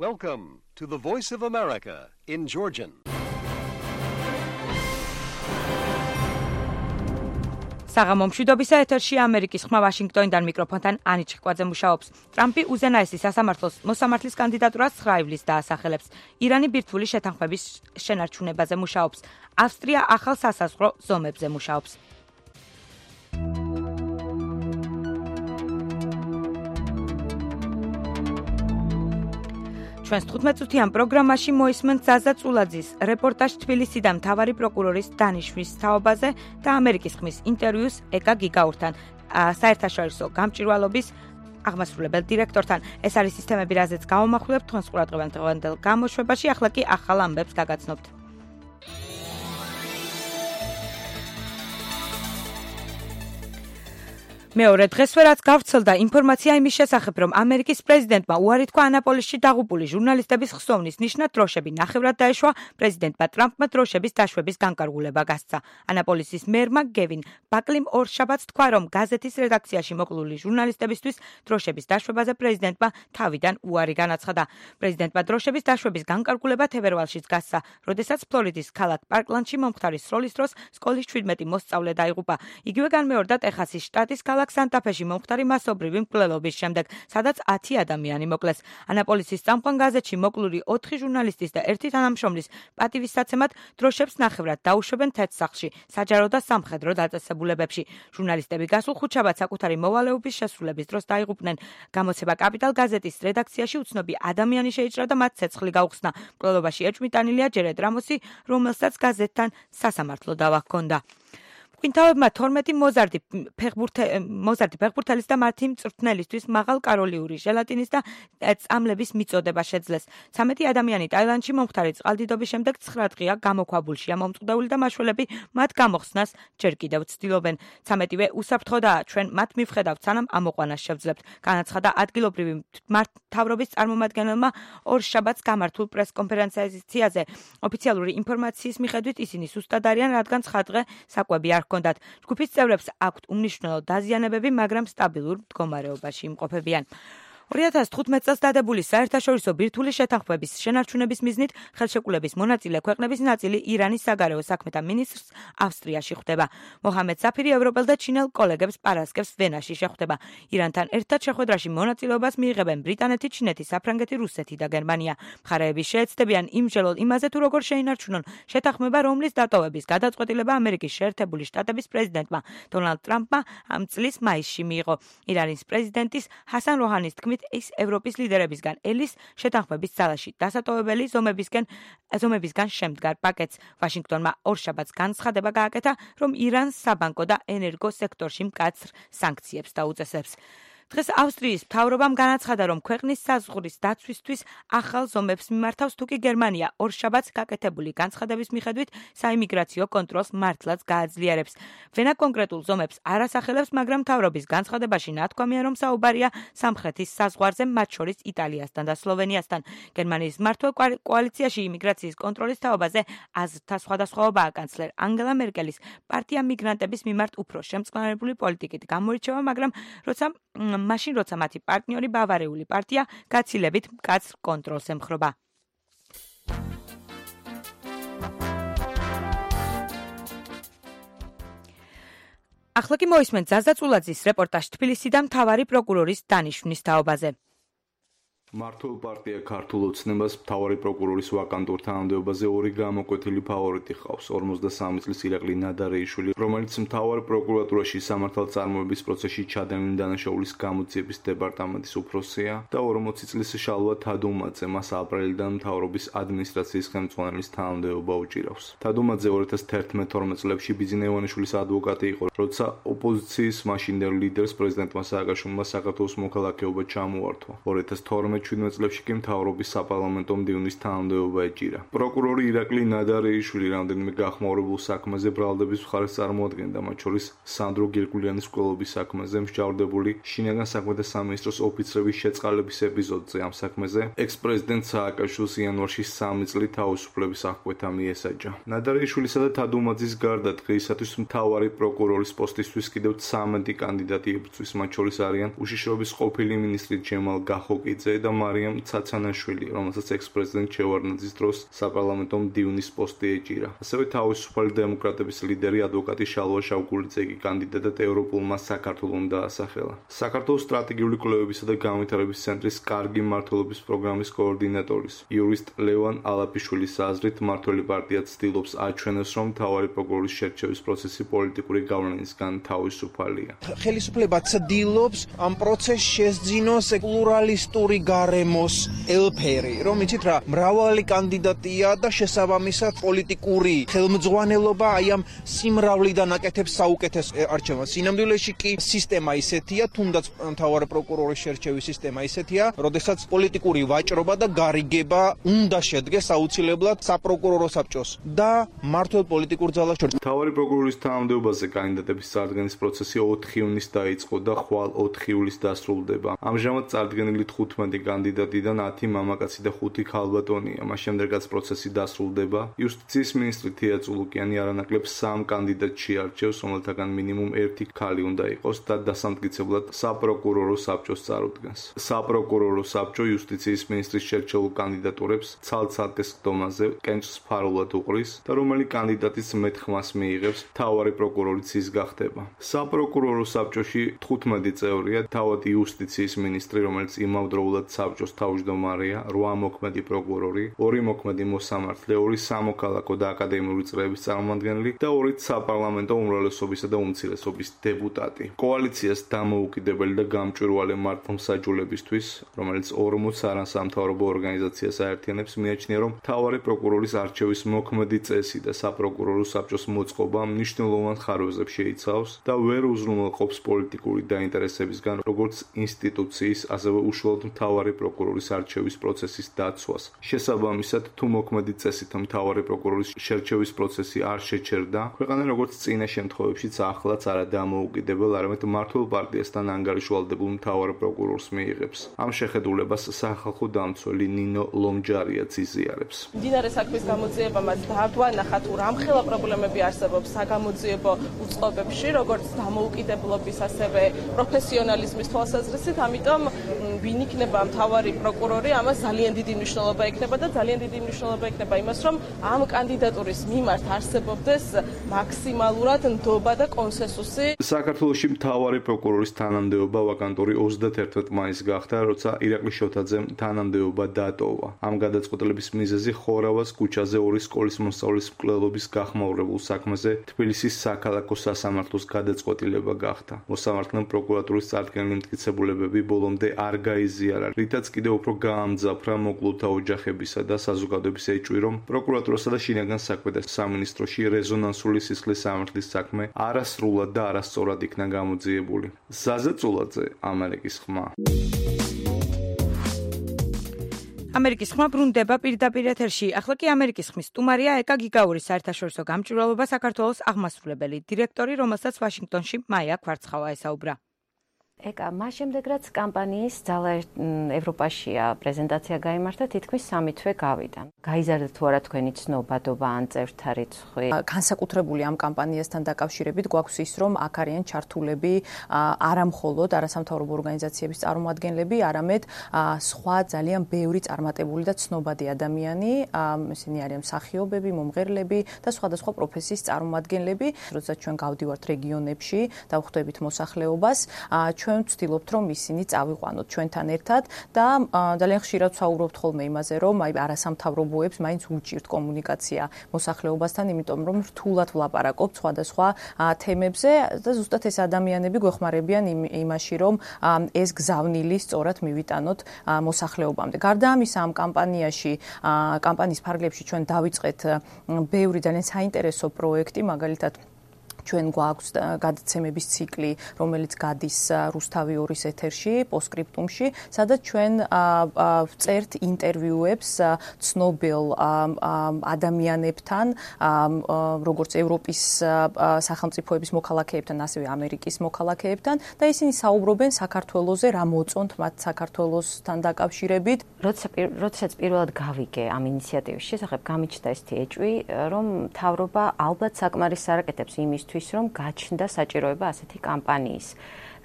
Welcome to the Voice of America in Georgian. საღამომშვიდობისა ეთერში ამერიკის ხმა ვაშინგტონიდან მიკროფონთან ანი ჩიკვაძე მუშაობს. ტრამპი უზენაესი სასამართლოს მოსამართლის კანდიდატურას 9 ივლისს დაასახელებს. ირანი ბირთვული შეთანხმების შენარჩუნებაზე მუშაობს. ავსტრია ახალ სასაზღვრო ზომებზე მუშაობს. ჩვენს 15-წუთიან პროგრამაში მოისმენთ ზაზა წულაძის რეპორტაჟ თბილისიდან მთავარი პროკურორის დანიშვნის თაობაზე და ამერიკის ხმის ინტერვიუს ეკა გიგაურთან, საერთაშორისო გამჭვირვალობის აღმასრულებელ დირექტორთან. ეს არის სისტემები, რაზეც გავამახვილებთ თქვენს ყურადღებამ დღევანდელ გამოშვებაში, ახლა კი ახალ ამბებს გაგაცნობთ. მეორე დღესვე რაც გავრცელდა ინფორმაცია იმის შესახებ, რომ ამერიკის პრეზიდენტმა უარი თქვა ანაპოლისში დაღუპული ჟურნალისტების ხსოვნის ნიშნად დროშები ნახევრად დაეშვა, პრეზიდენტმა ტრამპმა დროშების დაშვების განკარგულება გასცა. ანაპოლისის მერმა გევინ ბაკლიმ ორშაბათს თქვა, რომ გაზეთის რედაქციაში მოკლული ჟურნალისტებისთვის დროშების დაშვებაზე პრეზიდენტმა თავიდან უარი განაცხადა. პრეზიდენტმა დროშების დაშვების განკარგულება თებერვალშიც გასცა, როდესაც ფლორიდის ქალაქ პარკლანდში მომხდარი სროლის დროს სკოლის 17 მოსწავლე დაიღუპა. იგივე განმეორდა ტეხასის შტატის სანტა-ფეში მომხდარი მასობრივი მკვლელობის შემდეგ, სადაც 10 ადამიანი მოკლეს. ანაპოლისის წამყვან გაზეთში მოკლული 4 ჟურნალისტის და 1 თანამშრომლის პატივისცემად დროშებს ნახევრად დაუშვებენ თეთრ-სახლში, საჯარო და სამხედრო დაწესებულებებში. ჟურნალისტები გასულ ხუთშაბათს საკუთარი მოვალეობის შესრულების დროს დაიღუპნენ. გამოცემა კაპიტალ გაზეთის რედაქციაში უცნობი ადამიანი შეიჭრა და მათ ცეცხლი გაუხსნა. მკვლელობაში ეჭვმიტანილია ჯერედ რამოსი, რომელსაც გაზეთთან სასამართლო დავა ჰქონდა. მკვლელობმა 12 მოზარდი ფეხბურთელის და მათი მწვრთნელისთვის მაღალკალორიული ჟელატინის და წამლების მიწოდება შეძლეს. 13 ადამიანი ტაილანდში მომხდარი წყალდიდობის შემდეგ 9 დღეა გამოქვაბულშია მომწყდეული და მაშველები მათ გამოხსნას ჯერ კიდევ ცდილობენ. 13-ვე უსაფრთხოდაა, ჩვენ მათ მივხედავთ, სანამ ამოყვანას შევძლებთ, განაცხადა ადგილობრივი მთავრობის წარმომადგენელმა ორშაბათს გამართულ პრესკონფერენციაზე. ოფიციალური ინფორმაციის მიხედვით ისინი სუსტად არიან, რადგან 9 დღე საკვები არ ჰქონდათ. ჯგუფის წევრებს აქვთ უმნიშვნელო დაზიანებები, მაგრამ სტაბილურ მდგომარეობაში იმყოფებიან. 2015 წელს დადებული საერთაშორისო ბირთვული შეთანხმების შენარჩუნების მიზნით ხელშეკრულების მონაწილე ქვეყნების ნაწილი ირანის საგარეო საქმეთა მინისტრს ავსტრიაში ხვდება. მოჰამედ საფირი ევროპელ და ჩინელ კოლეგებს პარასკევს ვენაში შეხვდება. ირანთან ერთად შეხვედრაში მონაწილეობას მიიღებენ ბრიტანეთი, ჩინეთი, საფრანგეთი, რუსეთი და გერმანია. მხარეები შეეცდებიან იმჟელოდ იმაზე, თუ როგორ შეინარჩუნონ შეთანხმება, რომლის დატოვების გადაწყვეტილება ამერიკის შეერთებული შტატების პრეზიდენტმა დონალდ ტრამპმა ამ წლის მაისში მიიღო. ირანის პრეზიდენტის ჰასან როჰანის თქმით, ის ევროპის ლიდერებისგან ელის შეთანხმების ძალაში დასატოვებელი ზომებისგან შემდგარ პაკეტს. ვაშინგტონმა ორშაბათს განცხადება გააკეთა, რომ ირანს საბანკო და ენერგო სექტორში მკაცრ სანქციებს დაუწესებს. დღეს ავსტრიის მთავრობამ განაცხადა, რომ ქვეყნის საზღვრის დაცვისთვის ახალ ზომებს მიმართავს, თუკი გერმანია ორშაბათს გაკეთებული განცხადების მიხედვით საიმიგრაციო კონტროლს მართლაც გააძლიერებს. ვენა კონკრეტულ ზომებს არ ასახელებს, მაგრამ მთავრობის განცხადებაში ნათქვამია, რომ საუბარია სამხრეთის საზღვარზე, მათ შორის იტალიასთან და სლოვენიასთან. გერმანიის მმართველ კოალიციაში იმიგრაციის კონტროლის თაობაზე აზრთა სხვადასხვაობაა. კანცლერ ანგელა მერკელის პარტია მიგრანტების მიმართ უფრო შემწყნარებული პოლიტიკით გამოირჩევა, მაგრამ როცა მათი პარტნიორი ბავარიული პარტია გაცილებით მკაცრ კონტროლს ემხრობა. ახლა კი მოისმენთ ზაზა წულაძის რეპორტაჟ თბილისიდან მთავარი პროკურორის დანიშვნის თაობაზე. მართულ პარტია ქართულ ოცნებას მთავარი პროკურორის ვაკანტურ თანამდებობაზე ორი გამოკვეთილი ფავორიტი ჰყავს. 43 წლის ირაკლი ნადარეიშვილი, რომელიც მთავარ პროკურატურაში სამართალწარმოების პროცესში ჩადენილი დანაშაულის გამოძიების დეპარტამენტის უფროსია და 40 წლის შალვა თადუმაძე, მას აპრილიდან მთავრობის ადმინისტრაციის ხელმძღვანელის თანამდებობა უჭირავს. თადუმაძე 2011-12 წლებში ბიძინა ივანიშვილის ადვოკატი იყო, როცა ოპოზიციის მაშინდელ ლიდერს პრეზიდენტმა სააკაშვილმა საქართველოს მოქალაქეობა ჩამოართვა. 2012-17 წლებში კი მთავრობის საპარლამენტო მდივნის თანამდებობა ეჭირა. პროკურორი ირაკლი ნადარეიშვილი რამდენიმე გახმაურებულ საქმეზე ბრალდების მხარეს წარმოადგენდა, მათ შორის სანდრო გირგულიანის მკვლელობის საქმეზე, მსჯავრდებული შინაგან საქმეთა სამინისტროს ოფიცრების შეწყალების ეპიზოდზე. ამ საქმეზე ექს-პრეზიდენტ სააკაშვილს იანვარში 3 წლით თავისუფლების აღკვეთა მიესაჯა. ნადარეიშვილისა და თადუმაძის გარდა დღეისათვის მთავარი პროკურორის პოსტისთვის კიდევ 13 კანდიდატი იბრძვის, მათ შორის არიან უშიშროების ყოფილი მინისტრი ჯემალ გახოკიძე და და მარიამ ცაცანაშვილი, რომელსაც ექს-პრეზიდენტ ჩევარდნაძის დროს საპარლამენტო მდივნის პოსტი ეჭირა. ასევე თავისუფალი დემოკრატების ლიდერი ადვოკატი შალვა შავგულიძე კი კანდიდატად ევროპულმა საქართველოს დაასახელა. საქართველოს სტრატეგიული კვლევებისა და განვითარების ცენტრის კარგი მმართველობის პროგრამის კოორდინატორის იურისტ ლევან ალაფიშვილის აზრით, მმართველი პარტია ცდილობს აჩვენოს, რომ მთავარი პროკურორის შერჩევის პროცესი პოლიტიკური გავლენისგან თავისუფალია. ხელისუფლება ცდილობს ამ პროცესს შესძინოს პლურალისტური გარემოს ელფერი, რომ იცით რა, მრავალი კანდიდატია და შესაბამისად პოლიტიკური ხელმძღვანელობა აი ამ სიმრავლიდან აკეთებს საუკეთეს არჩევანს. სინამდვილეში კი სისტემა ისეთია, თუნდაც მთავარი პროკურორის შერჩევის სისტემა ისეთია, როდესაც პოლიტიკური ვაჭრობა და გარიგება უნდა შედგეს აუცილებლად საპროკურორო საბჭოს და მართლ პოლიტიკურ ძალას შორის. მთავარი პროკურორის თანამდებობაზე კანდიდატების წარდგენის პროცესი 4 ივნისს დაიწყო და ხვალ 4 ივლისს დასრულდება. ამჟამად წარდგენილი 15 კანდიდატიდან 10 მამაკაცი და 5 ქალბატონია. მას შემდეგაც პროცესი დასრულდება. იუსტიციის მინისტრი თია წულუკიანი არანაკლებ 3 კანდიდატს შეარჩევს, რომელთაგან მინიმუმ 1 ქალი უნდა იყოს და დასამტკიცებლად საპროკურორო საბჭოს წარუდგენს. საპროკურორო საბჭო იუსტიციის მინისტრის შერჩეულ კანდიდატურებს ცალ-ცალკე სხდომაზე კენჭს ფარულად უყრის და რომელი კანდიდატის მეტხმას მიიღებს, მთავარი პროკურორიც ის გახდება. საპროკურორო საბჭოში 15 წევრია, თავად იუსტიციის მინისტრი, რომელიც იმავდროულად საბჭოს თავმჯდომარეა, 8 მოქმედი პროკურორი, 2 მოქმედი მოსამართლე, 2 სამოქალაქო და აკადემიური წრეების წარმომადგენელი და 2 საპარლამენტო უმრავლესობისა და უმცირესობის დეპუტატი. კოალიციას დამოუკიდებელი და გამჭვირვალე მართლმსაჯულებისთვის, რომელიც 40 არასამთავრობო ორგანიზაციას აერთიანებს, მიაჩნია, რომ მთავარი პროკურორის არჩევის მოქმედი წესი და საპროკურორო საბჭოს მოწყობა მნიშვნელოვან ხარვეზებს შეიცავს და ვერ უზრუნველყოფს პოლიტიკური დაინტერესებისგან როგორც ინსტიტუციის, ასევე უშუალოდ მთავარი პროკურორის არჩევის პროცესის დაცვას. შესაბამისად, თუ მოქმედი წესით მთავარი პროკურორის შერჩევის პროცესი არ შეჩერდა, ქვეყანა როგორც წინა შემთხვევებშიც ახლაც არა დამოუკიდებელ, არამედ მმართველ პარტიასთან ანგარიშვალდებულ მთავარ პროკურორს მიიღებს. ამ შეხედულებას სახალხო დამცველი ნინო ლომჯარიაც იზიარებს. მდინარე საქმის გამოძიებამაც დაგვანახა თუ რამხელა პრობლემები არსებობს საგამოძიებო უწყობებში, როგორც დამოუკიდებლობის, ასევე პროფესიონალიზმის თვალსაზრისით, ამიტომ ვინ იქნება მთავარი პროკურორი, ამას ძალიან დიდი მნიშვნელობა ექნება და ძალიან დიდი მნიშვნელობა ექნება იმას, რომ ამ კანდიდატურის მიმართ არსებობდეს მაქსიმალურად ნდობა და კონსენსუსი. საქართველოში მთავარი პროკურორის თანამდებობა ვაკანტური 31 მაისს გახდა, როცა ირაკლი შოთაძემ თანამდებობა დატოვა. ამ გადაწყვეტილების მიზეზი ხორავას ქუჩაზე 2 სკოლის მოსწავლის მკვლელობის გახმაურებულ საქმეზე თბილისის საქალაქო სასამართლოს გადაწყვეტილება გახდა. მოსამართლემ პროკურატურის წარდგენილი მტკიცებულებები ბოლომდე არ გაიზიარა, რითაც კიდევ უფრო გაამძაფრა მოკლულთა ოჯახებისა და საზოგადოების ეჭვი, რომ პროკურატურასა და შინაგან საქმეთა სამინისტროში რეზონანსული სისხლის სამართლის საქმე არასრულად და არასწორად იქნა გამოძიებული. ზაზე წულაძე, ამერიკის ხმა. ამერიკის ხმა ბრუნდება პირდაპირ ეთერში. ახლა კი ამერიკის ხმის სტუმარია ეკა გიგაურის საერთაშორისო გამჭვირვალობა საქართველოს აღმასრულებელი დირექტორი, რომელსაც ვაშინგტონში მაია კვარცხავა ესაუბრა. ეკა, მას შემდეგ რაც კამპანიის ძალა ევროპაშია პრეზენტაცია გაიმართა, თითქმის 3 თვე გავიდა. გაიზარდა თუ არა თქვენი ცნობადობა ან წევრთა რიცხვი? განსაკუთრებული ამ კამპანიასთან დაკავშირებით გვაქვს ის, რომ აქ არიან ჩართულები არა მხოლოდ არასამთავრობო ორგანიზაციების წარმომადგენლები, არამედ სხვა ძალიან ბევრი წარმატებული და ცნობადი ადამიანი, ისინი არიან მსახიობები, მომღერლები და სხვადასხვა პროფესიის წარმომადგენლები. როდესაც ჩვენ გავდივართ რეგიონებში და ვხვდებით მოსახლეობას, ჩვენ ვცდილობთ, რომ ისინი წავიყვანოთ ჩვენთან ერთად და ძალიან ხშირად ვსაუბრობთ ხოლმე იმაზე, რომ აი არასამთავრობოებს მაინც უჭირთ კომუნიკაცია მოსახლეობასთან, იმიტომ რომ რთულად ვლაპარაკობთ სხვადასხვა თემებზე და ზუსტად ეს ადამიანები გვეხმარებიან იმაში, რომ ეს გზავნილი სწორად მივიტანოთ მოსახლეობამდე. გარდა ამისა, ამ კამპანიის ფარგლებში ჩვენ დავიწყეთ ბევრი ძალიან საინტერესო პროექტი, მაგალითად ჩვენ გვაქვს გადაცემების ციკლი, რომელიც გადის რუსთავი 2-ის ეთერში, პოსტსკრიპტუმში, სადაც ჩვენ ვწერთ ინტერვიუებს ცნობილ ადამიანებთან, როგორც ევროპის სახელმწიფოების მოქალაქეებთან, ასევე ამერიკის მოქალაქეებთან და ისინი საუბრობენ საქართველოზე, რა მოწონთ მათ საქართველოსთან დაკავშირებით. როდესაც პირველად გავიგე ამ ინიციატივის შესახებ, გამიჩნდა ესეთი ეჭვი, რომ მთავრობა ალბათ საკმარისს არ აკეთებს იმისთვის, რომ გაჩნდა საჭიროება ასეთი კამპანიის.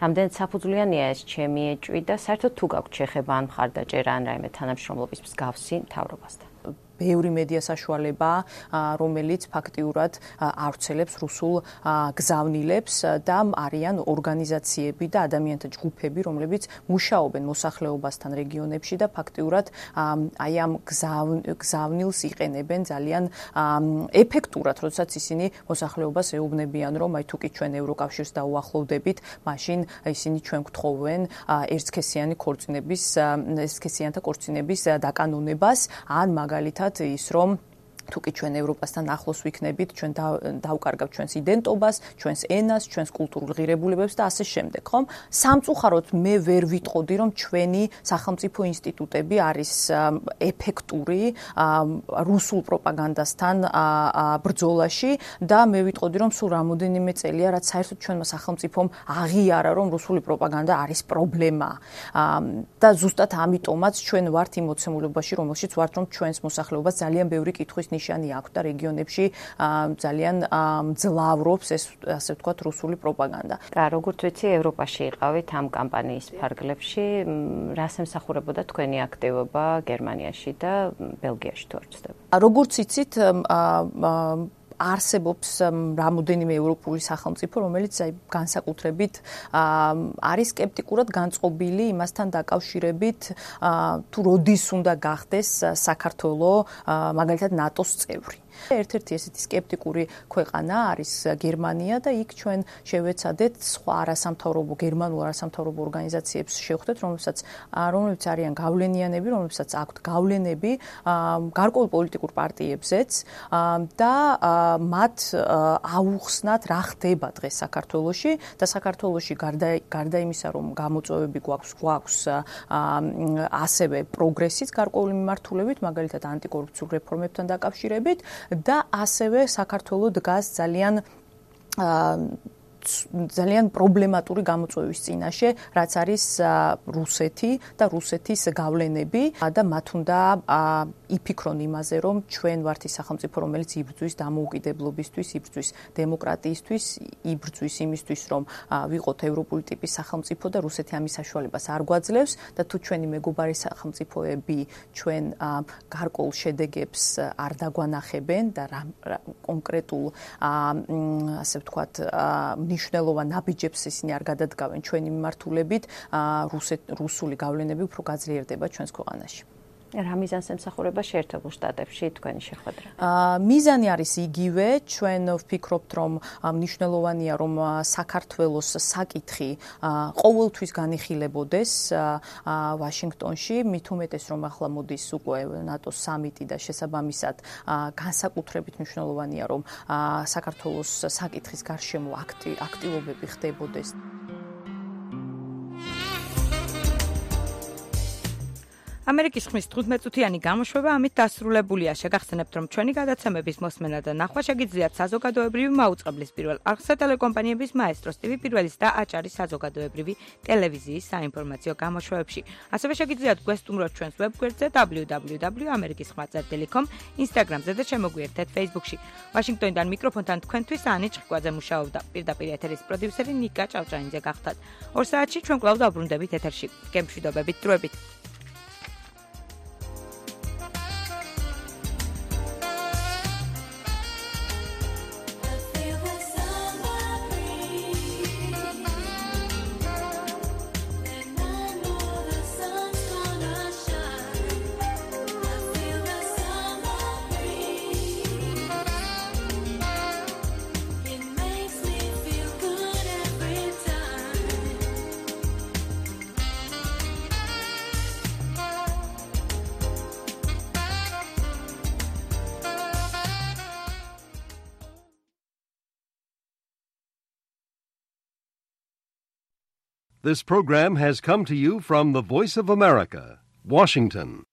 რამდენად საფუძვლიანია ეს ჩემი ეჭვი და საერთოდ თუ გაქვთ შეხება ან მხარდაჭერა ან რაიმე თანამშრომლობის მსგავსი მთავრობასთან? ბევრი მედია საშუალება, რომელიც ფაქტიურად ავრცელებს რუსულ გზავნილებს და არიან ორგანიზაციები და ადამიანთა ჯგუფები, რომლებიც მუშაობენ მოსახლეობასთან რეგიონებში და ფაქტიურად აი ამ გზავნილს იყენებენ ძალიან ეფექტურად, როდესაც ისინი მოსახლეობას ეუბნებიან, რომ აი თუ კი ჩვენ ევროკავშირს დაუახლოვდებით, მაშინ ისინი ჩვენ გთხოვენ ერთსქესიანთა ქორწინების დაკანონებას, ან მაგალითად ის რომ თუ კი ჩვენ ევროპასთან ახლოს ვიქნებით, ჩვენ დავკარგავთ ჩვენს იდენტობას, ჩვენს ენას, ჩვენს კულტურულ ღირებულებებს და ასე შემდეგ, ხომ? სამწუხაროდ მე ვერ ვიტყოდი, რომ ჩვენი სახელმწიფო ინსტიტუტები არის ეფექტური რუსულ პროპაგანდასთან ბრძოლაში და მე ვიტყოდი, რომ სულ რამოდენიმე წელია, რაც საერთოდ ჩვენმა სახელმწიფომ აღიარა, რომ რუსული პროპაგანდა არის პრობლემა. და ზუსტად ამიტომაც ჩვენ ვართ იმ მოცემულობაში, რომელშიც ვართ, რომ ჩვენს მოსახლეობას ძალიან ბევრი კითხვის ნიშანი აქვს და რეგიონებში ძალიან მძლავრობს ეს ასე ვთქვათ რუსული პროპაგანდა. როგორც ვიცი, ევროპაში იყავით ამ კამპანიის ფარგლებში, რას ემსახურებოდა თქვენი აქტივობა გერმანიაში და ბელგიაში თუ არ ვცდები? როგორც იცით, არსებობს რამოდენიმე ევროპული სახელმწიფო, რომელიც აი განსაკუთრებით არის სკეპტიკურად განწყობილი იმასთან დაკავშირებით, თუ როდის უნდა გახდეს საქართველოს მაგალითად ნატოს წევრი. ერთ-ერთი ესეთი სკეპტიკური ქვეყანა არის გერმანია და იქ ჩვენ შევეცადეთ სხვა არასამთავრობო გერმანულ არასამთავრობო ორგანიზაციებს შევხვდეთ, რომლებიც არიან გავლენიანები, რომლებსაც აქვთ გავლენები გარკვეულ პოლიტიკურ პარტიებზეც და მათ აუხსნათ რა ხდება დღეს საქართველოში და საქართველოში გარდა იმისა, რომ გამოწვევები გვაქვს ასევე პროგრესიც გარკვეული მიმართულებით, მაგალითად ანტიკორუფციულ რეფორმებთან დაკავშირებით და ასევე საქართველო დგას ძალიან პრობლემატური გამოწვევის წინაშე, რაც არის რუსეთი და რუსეთის გავლენები და მათ უნდა იფიქრონ იმაზე, რომ ჩვენ ვართ ის სახელმწიფო, რომელიც იბრძვის დამოუკიდებლობისთვის, იბრძვის დემოკრატიისთვის, იბრძვის იმისთვის, რომ ვიყოთ ევროპული ტიპის სახელმწიფო და რუსეთი ამის საშუალებას არ გვაძლევს და თუ ჩვენი მეგობარი სახელმწიფოები ჩვენ გარკვეულ შედეგებს არ დაგვანახებენ და კონკრეტულ ასე ვთქვათ მნიშვნელოვან ნაბიჯებს ისინი არ გადადგავენ ჩვენი მიმართულებით, რუსული გავლენები უფრო გაძლიერდება ჩვენს ქვეყანაში. რა მიზანს ემსახურება შეერთებულ შტატებში თქვენი შეხვედრა? მიზანი არის იგივე, ჩვენ ვფიქრობთ, რომ მნიშვნელოვანია, რომ საქართველოს საკითხი ყოველთვის განიხილებოდეს ვაშინგტონში, მით უმეტეს, რომ ახლა მოდის უკვე ნატოს სამიტი და შესაბამისად განსაკუთრებით მნიშვნელოვანია, რომ საქართველოს საკითხის გარშემო აქტივობები ხდებოდეს. ამერიკის ხმის 15-წუთიანი გამოშვება ამით დასრულებულია. შეგახსენებთ, რომ ჩვენი გადაცემების მოსმენა და ნახვა შეგიძლიათ საზოგადოებრივი მაუწყებლის პირველ არხსა ტელეკომპანიების მაესტროს TV პირველის და აჭარის საზოგადოებრივი ტელევიზიის საინფორმაციო გამოშვებებში. ასევე შეგიძლიათ გვესტუმროთ ჩვენს ვებგვერდზე www.amerikiskhma.com, Instagram-ზე და შემოგვიერთეთ Facebook-ში. ვაშინგტონიდან მიკროფონთან თქვენთვის ანი ჭყიკვაძე მუშაობდა. პირდაპირ ეთერის პროდიუსერი ნიკა ჭავჭანიძე გახდათ. 2 საათში ჩვენ კვლავ დავბრუნდებით ეთერში. გემშვიდობებით, დროებით. This program has come to you from the Voice of America, Washington.